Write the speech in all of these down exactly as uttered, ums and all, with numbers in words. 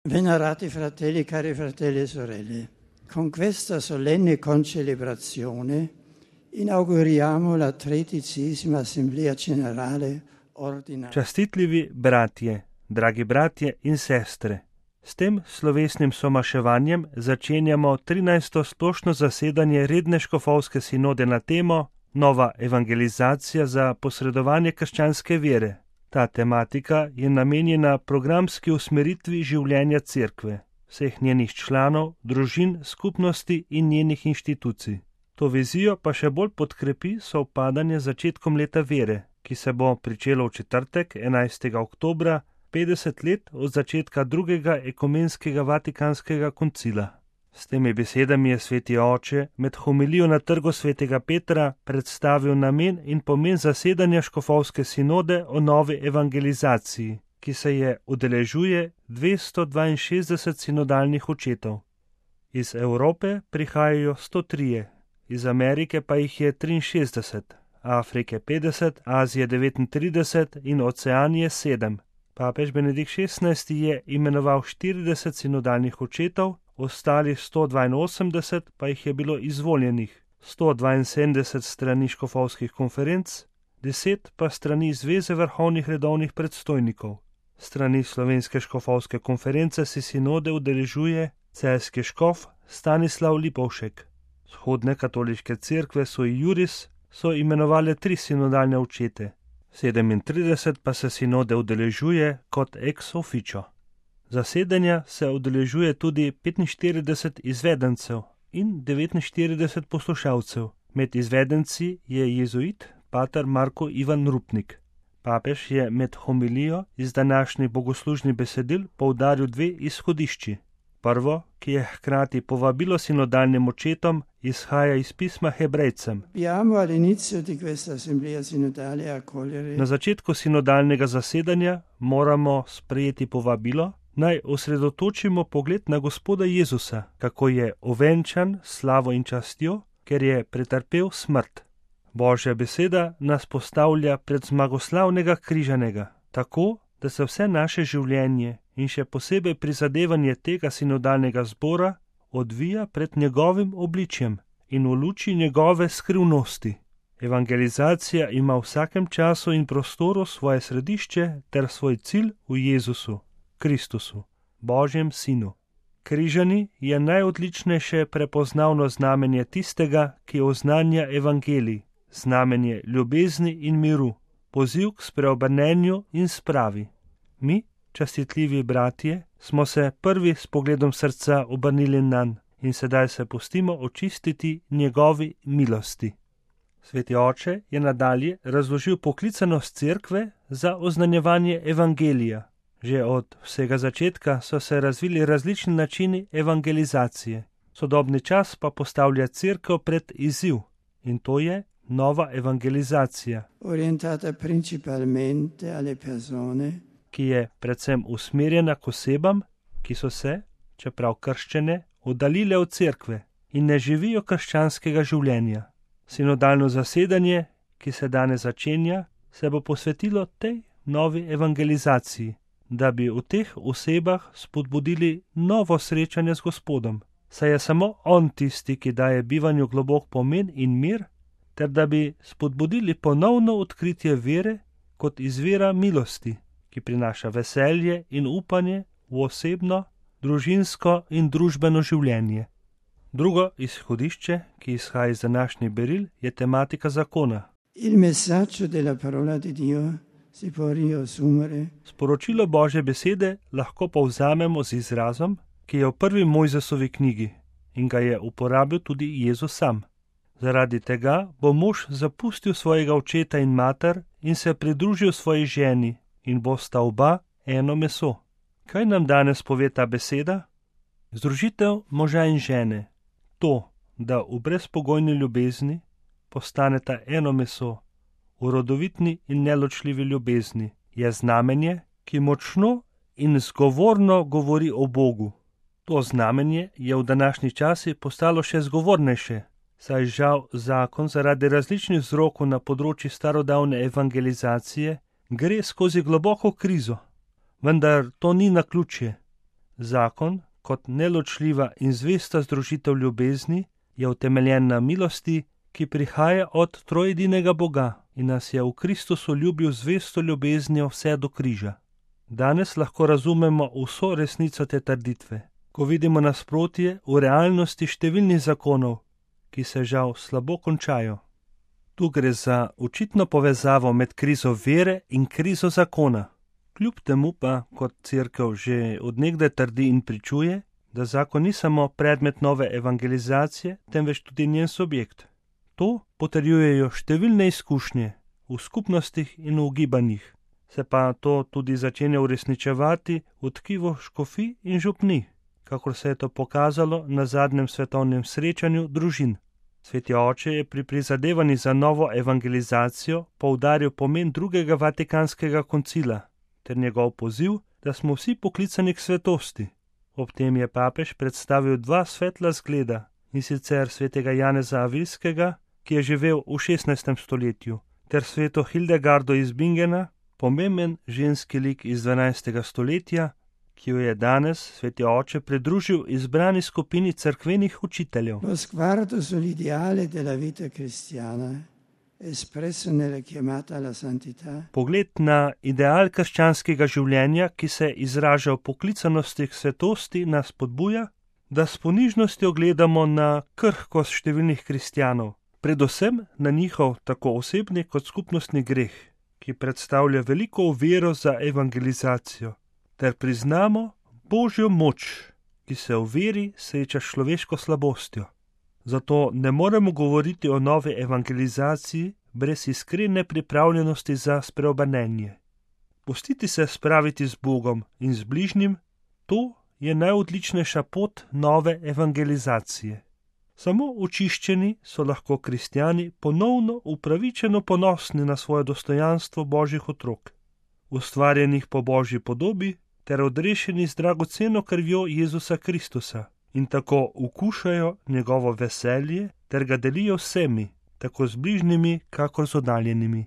Venerati fratelli, cari fratelli e sorelle, con questa solenne concelebrazione inauguriamo la tredicesima Assemblea Generale Ordinaria. Častitljivi bratje, dragi bratje in sestre, s tem slovesnim somaševanjem začenjamo trinajsto splošno zasedanje redne škofovske sinode na temo Nova evangelizacija za posredovanje krščanske vere. Ta tematika je namenjena programski usmeritvi življenja cerkve, vseh njenih članov, družin, skupnosti in njenih inštitucij. To vizijo pa še bolj podkrepi sovpadanje z začetkom leta vere, ki se bo pričelo v četrtek, enajstega oktobra, petdeset let od začetka drugega ekumenskega vatikanskega koncila. S temi besedami je sveti oče med homilijo na trgu svetega Petra predstavil namen in pomen zasedanja škofovske sinode o novi evangelizaciji, ki se je udeležuje dvesto dvainšestdeset sinodalnih očetov. Iz Evrope prihajajo sto tri, iz Amerike pa jih je triinšestdeset, Afrike petdeset, Azije devetintrideset in Oceanije sedem. Papež Benedikt šestnajsti je imenoval štirideset sinodalnih očetov, ostalih sto dvainosemdeset pa jih je bilo izvoljenih, sto dvainsedemdeset strani škofovskih konferenc, deset pa strani Zveze vrhovnih redovnih predstojnikov. Strani Slovenske škofovske konference se sinode udeležuje celjski škof Stanislav Lipovšek. Vzhodne katoliške cerkve sui juris so imenovali tri sinodalne očete, sedemintrideset pa se sinode udeležuje kot ex officio. Zasedanja se udeležuje tudi petinštirideset izvedencev in devetinštirideset poslušalcev. Med izvedenci je jezuit pater Marko Ivan Rupnik. Papež je med homilijo iz današnjih bogoslužnih besedil poudaril dve izhodišči. Prvo, ki je hkrati povabilo sinodalnim očetom, izhaja iz pisma Hebrejcem. Na začetku sinodalnega zasedanja moramo sprejeti povabilo, naj osredotočimo pogled na Gospoda Jezusa, kako je ovenčan slavo in častjo, ker je pretrpel smrt. Božja beseda nas postavlja pred zmagoslavnega križanega, tako, da se vse naše življenje in še posebej prizadevanje tega sinodalnega zbora odvija pred njegovim obličjem in v luči njegove skrivnosti. Evangelizacija ima v vsakem času in prostoru svoje središče ter svoj cilj v Jezusu, Kristusu, Božjem Sinu. Križani je najodličnejše prepoznavno znamenje tistega, ki oznanja evangelij, znamenje ljubezni in miru, poziv k spreobrnenju in spravi. Mi, častitljivi bratje, smo se prvi s pogledom srca obrnili nanj in sedaj se pustimo očistiti njegovi milosti. Sveti oče je nadalje razložil poklicanost cerkve za oznanjevanje evangelija. Že od vsega začetka so se razvili različni načini evangelizacije. Sodobni čas pa postavlja cerkev pred izziv in to je nova evangelizacija, orientata principalmente alle persone, ki je predvsem usmerjena k osebam, ki so se, čeprav krščene, oddaljile od cerkve in ne živijo krščanskega življenja. Sinodalno zasedanje, ki se danes začenja, se bo posvetilo tej novi evangelizaciji, da bi v teh osebah spodbudili novo srečanje z Gospodom, saj je samo On tisti, ki daje bivanju globok pomen in mir, ter da bi spodbudili ponovno odkritje vere kot izvira milosti, ki prinaša veselje in upanje v osebno, družinsko in družbeno življenje. Drugo izhodišče, ki izhaja iz današnjih beril, je tematika zakona. Il messaggio della parola di Dio si può riassumere. Sporočilo Božje besede lahko povzamemo z izrazom, ki je v prvi Mojzesovi knjigi in ga je uporabil tudi Jezus sam. Zaradi tega bo mož zapustil svojega očeta in mater in se pridružil svoji ženi in bosta oba eno meso. Kaj nam danes pove ta beseda? Združitev moža in žene, to, da v brezpogojni ljubezni postaneta eno meso, v rodovitni in neločljivi ljubezni, je znamenje, ki močno in zgovorno govori o Bogu. To znamenje je v današnji časi postalo še zgovornejše, saj žal zakon zaradi različnih vzrokov na področju starodavne evangelizacije gre skozi globoko krizo. Vendar to ni naključje. Zakon, kot neločljiva in zvesta združitev ljubezni, je utemeljen na milosti, ki prihaja od trojedinega Boga in nas je v Kristusu ljubil zvesto ljubeznijo vse do križa. Danes lahko razumemo vso resnico te trditve, ko vidimo nasprotje v realnosti številnih zakonov, ki se žal slabo končajo. Tu gre za očitno povezavo med krizo vere in krizo zakona. Kljub temu pa, kot Cerkev že od nekdaj trdi in pričuje, da zakon ni samo predmet nove evangelizacije, temveč tudi njen subjekt. To potrjujejo številne izkušnje v skupnostih in v gibanjih, se pa to tudi začenja uresničevati v tkivu škofij in župnij, kakor se je to pokazalo na zadnjem svetovnem srečanju družin. Sveti oče je pri prizadevanji za novo evangelizacijo poudaril pomen drugega vatikanskega koncila ter njegov poziv, da smo vsi poklicani k svetosti. Ob tem je papež predstavil dva svetla zgleda, in sicer svetega Janeza Avilskega, ki je živel v šestnajstem stoletju, ter sveto Hildegardo iz Bingena, pomemben ženski lik iz dvanajstega stoletja, ki jo je danes sveti oče pridružil izbrani skupini cerkvenih učiteljev. Lo sguardo sull'ideale della vita cristiana, espresso nella chiamata alla santità. Pogled na ideal krščanskega življenja, ki se izraža v poklicanosti k svetosti, nas spodbuja, da s ponižnostjo gledamo na krhkost številnih kristjanov, predvsem na njihov tako osebni kot skupnostni greh, ki predstavlja veliko oviro za evangelizacijo, ter priznamo Božjo moč, ki se v veri sreča s človeško slabostjo. Zato ne moremo govoriti o novi evangelizaciji brez iskrene pripravljenosti za spreobrnenje. Pustiti se spraviti z Bogom in z bližnjim, to je najodličnejša pot nove evangelizacije. Samo očiščeni so lahko kristjani ponovno upravičeno ponosni na svoje dostojanstvo Božjih otrok, ustvarjenih po Božji podobi ter odrešeni z dragoceno krvjo Jezusa Kristusa, in tako ukušajo njegovo veselje ter ga delijo vsemi, tako z bližnjimi, kakor z oddaljenimi.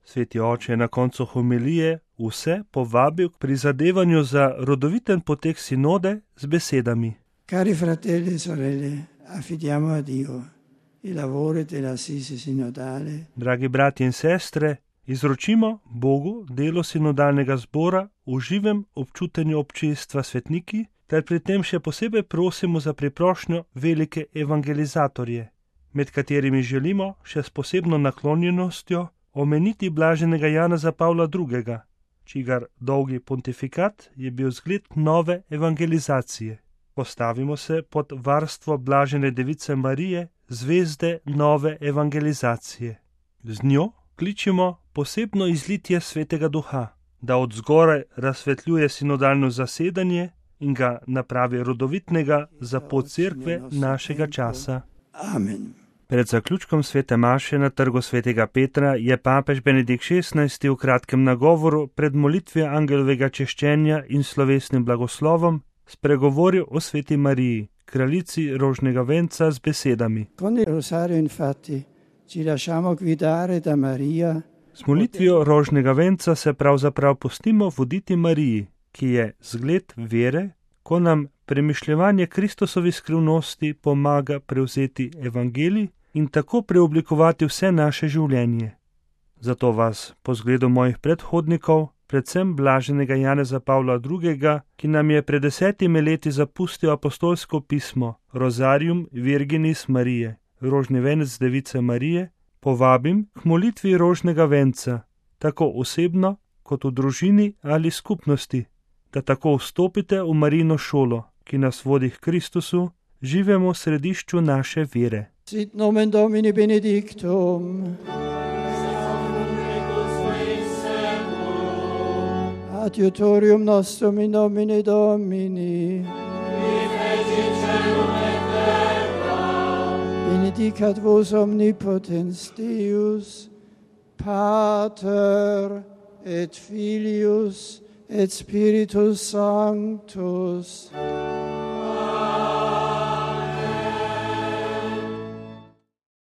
Sveti oče je na koncu homilije vse povabil k prizadevanju za rodoviten potek sinode z besedami: Cari fratelli e sorelle, affidiamo a Dio il lavoro dell'assise sinodale. Dragi bratje in sestre, izročimo Bogu delo sinodalnega zbora v živem občutenju občestva svetniki, ter pri tem še posebej prosimo za priprošnjo velike evangelizatorje, med katerimi želimo še s posebno naklonjenostjo omeniti blaženega Janeza Pavla drugega, čigar dolgi pontifikat je bil zgled nove evangelizacije. Postavimo se pod varstvo blažene device Marije, zvezde nove evangelizacije. Z njo kličimo posebno izlitje Svetega Duha, da od zgoraj razsvetljuje sinodalno zasedanje in ga napravi rodovitnega za pot cerkve našega časa. Amen. Pred zaključkom svete maše na trgu svetega Petra je papež Benedikt šestnajsti v kratkem nagovoru pred molitvijo angelovega češčenja in slovesnim blagoslovom spregovoril o sveti Mariji, kraljici rožnega venca, z besedami: Con il rosario infatti ci lasciamo guidare da Maria. S molitvijo rožnega venca se pravzaprav pustimo voditi Mariji, ki je zgled vere, ko nam premišljevanje Kristusovih skrivnosti pomaga prevzeti evangelij in tako preoblikovati vse naše življenje. Zato vas po zgledu mojih predhodnikov, predvsem blaženega Janeza Pavla drugega, ki nam je pred desetimi leti zapustil apostolsko pismo Rosarium Virginis Marije, rožni venec device Marije, povabim k molitvi rožnega venca, tako osebno kot v družini ali skupnosti, da tako vstopite v Marijino šolo, ki nas vodi k Kristusu, živemo v središču naše vere. Sit nomen Domini benedictum. Adiutorium nostrum in nomine Domini. Benedicat vos omnipotens Deus, Pater et Filius et Spiritus Sanctus.